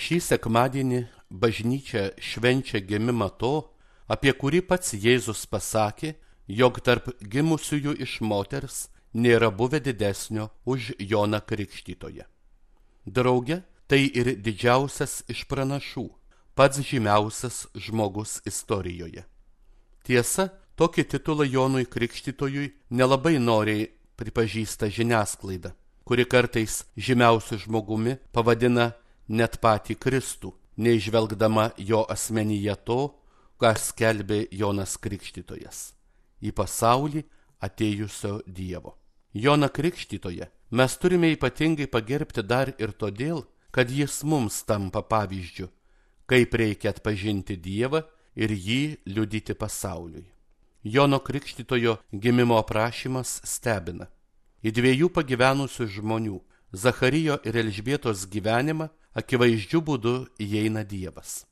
Šį sekmadienį bažnyčia švenčia gimimą to, apie kurį pats Jėzus pasakė, jog tarp gimusiųjų iš moters nėra buvę didesnio už Joną Krikštytoją. Drauge, tai ir didžiausias iš pranašų, pats žymiausias žmogus istorijoje. Tiesa, tokį titulą Jonui Krikštytojui nelabai noriai pripažįsta žiniasklaida, kuri kartais žymiausiu žmogumi pavadina net patį Kristų, neižvelgdama jo asmenyje to, ką skelbė Jonas Krikštytojas – į pasaulį atėjusio Dievo. Joną Krikštytoją mes turime ypatingai pagerbti dar ir todėl, kad jis mums tampa pavyzdžiu, kaip reikia atpažinti Dievą ir jį liudyti pasauliui. Jono Krikštytojo gimimo aprašymas stebina. Į dviejų pagyvenusių žmonių, Zacharijo ir Elžbietos gyvenimą, akivaizdžiu būdu įeina Dievas.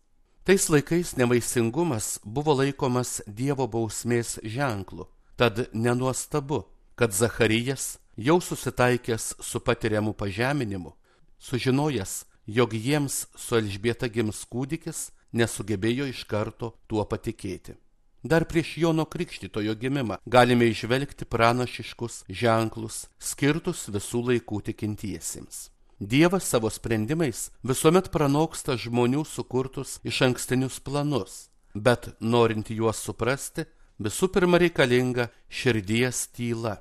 Tais laikais nevaisingumas buvo laikomas Dievo bausmės ženklu, tad nenuostabu, kad Zacharijas, jau susitaikęs su patiriamu pažeminimu, sužinojęs, jog jiems su Elžbieta gims kūdikis, nesugebėjo iš karto tuo patikėti. Dar prieš Jono Krikštytojo gimimą galime įžvelgti pranašiškus ženklus, skirtus visų laikų tikintiesiems. Dievas savo sprendimais visuomet pranoksta žmonių sukurtus išankstinius planus, bet norint juos suprasti, visų pirma reikalinga širdies tyla,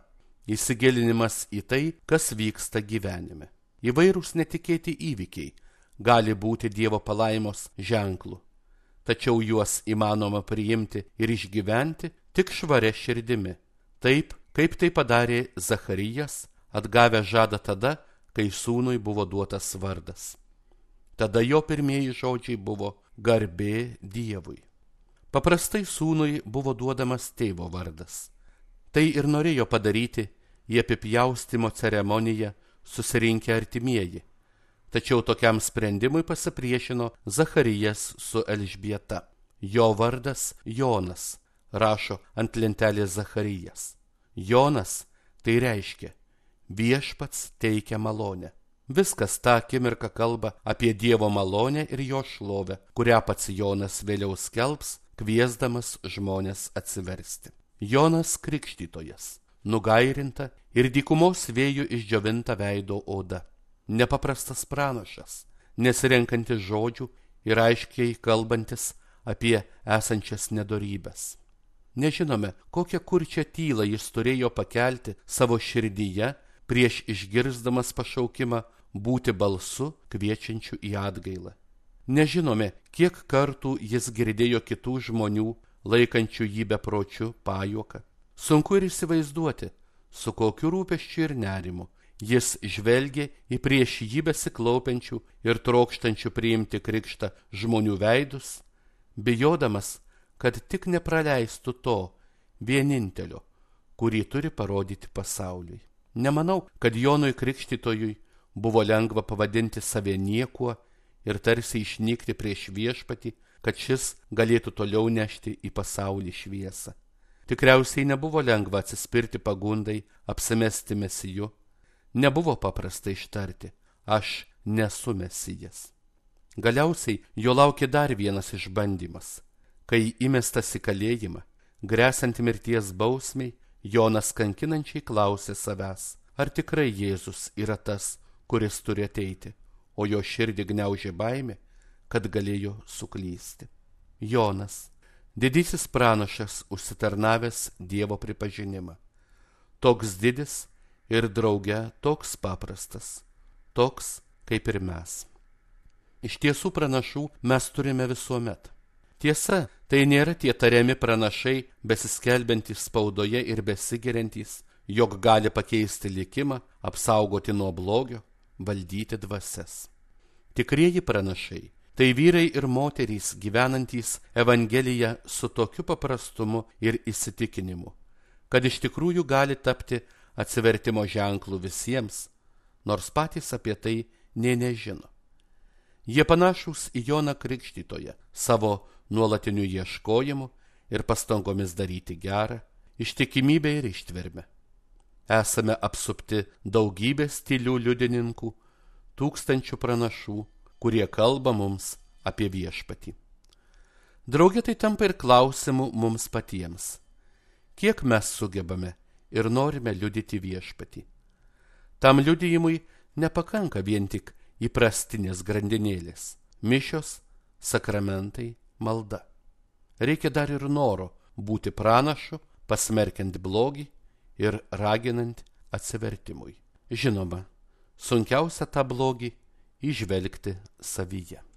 įsigilinimas į tai, kas vyksta gyvenime. Įvairūs netikėti įvykiai gali būti Dievo palaimos ženklu, tačiau juos įmanoma priimti ir išgyventi tik švaria širdimi, taip, kaip tai padarė Zacharijas, atgavęs žadą tada, kai sūnui buvo duotas vardas. Tada jo pirmieji žodžiai buvo garbė Dievui. Paprastai sūnui buvo duodamas tėvo vardas. Tai ir norėjo padaryti į apipjaustimo ceremoniją susirinkę artimieji. Tačiau tokiam sprendimui pasipriešino Zacharijas su Elžbieta. Jo vardas Jonas, rašo ant lentelės Zacharijas. Jonas tai reiškia viešpats teikia malonę. Viskas tą akimirką kalba apie Dievo malonę ir jo šlovę, kurią pats Jonas vėliau skelbs, kviesdamas žmones atsiversti. Jonas Krikštytojas, nugairinta ir dykumos vėjų išdžiovinta veido oda. Nepaprastas pranašas, nesirenkantis žodžių ir aiškiai kalbantis apie esančias nedorybes. Nežinome, kokią kurčią tylą jis turėjo pakelti savo širdyje, prieš išgirsdamas pašaukimą būti balsu kviečiančiu į atgailą. Nežinome, kiek kartų jis girdėjo kitų žmonių, laikančių jį bepročiu pajuoką. Sunku ir įsivaizduoti, su kokiu rūpesčiu ir nerimu jis žvelgė į prieš jį besiklaupiančių ir trokštančių priimti krikštą žmonių veidus, bijodamas, kad tik nepraleistų to vienintelio, kurį turi parodyti pasauliui. Nemanau, kad Jonui Krikštytojui buvo lengva pavadinti save niekuo ir tarsi išnykti prieš viešpatį, kad šis galėtų toliau nešti į pasaulį šviesą. Tikriausiai nebuvo lengva atsispirti pagundai apsimesti mesiju. Nebuvo paprasta ištarti, aš nesu mesijas. Galiausiai jo laukė dar vienas išbandymas. Kai įmestas į kalėjimą, gresiant mirties bausmei, Jonas kankinančiai klausė savęs, ar tikrai Jėzus yra tas, kuris turi ateiti, o jo širdį gniaužė baimė, kad galėjo suklysti. Jonas, didysis pranašas, užsitarnavęs Dievo pripažinimą. Toks didis ir drauge toks paprastas, toks kaip ir mes. Iš tiesų pranašų mes turime visuomet. Tiesa, tai nėra tie tariami pranašai, besiskelbiantys spaudoje ir besigiriantys, jog gali pakeisti likimą, apsaugoti nuo blogio, valdyti dvasias. Tikrieji pranašai – tai vyrai ir moterys gyvenantys Evangeliją su tokiu paprastumu ir įsitikinimu, kad iš tikrųjų gali tapti atsivertimo ženklų visiems, nors patys apie tai nė nežino. Jie panašūs į Joną Krikštytoją savo nuolatiniu ieškojimu ir pastangomis daryti gerą, ištikimybę ir ištvermę. Esame apsupti daugybės tylių liudininkų, tūkstančių pranašų, kurie kalba mums apie viešpatį. Drauge tai tampa ir klausimu mums patiems. Kiek mes sugebame ir norime liudyti viešpatį? Tam liudijimui nepakanka vien tik įprastinės grandinėlės – mišios, sakramentai, malda. Reikia dar ir noro būti pranašu, pasmerkiant blogį ir raginant atsivertimui. Žinoma, sunkiausia tą blogį įžvelgti savyje.